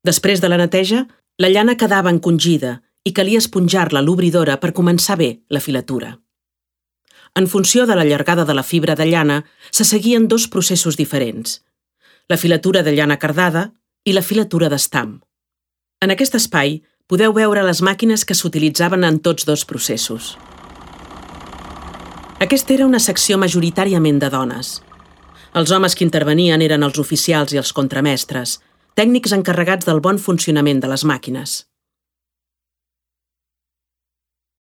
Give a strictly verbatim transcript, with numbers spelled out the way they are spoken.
Després de la neteja, la llana quedava encongida i calia esponjar-la a l'obridora per començar bé la filatura. En funció de la llargada de la fibra de llana, se seguien dos processos diferents: la filatura de llana cardada i la filatura d'estam. En aquest espai podeu veure les màquines que s'utilitzaven en tots dos processos. Aquesta era una secció majoritàriament de dones. Els homes que intervenien eren els oficials i els contramestres, tècnics encarregats del bon funcionament de les màquines.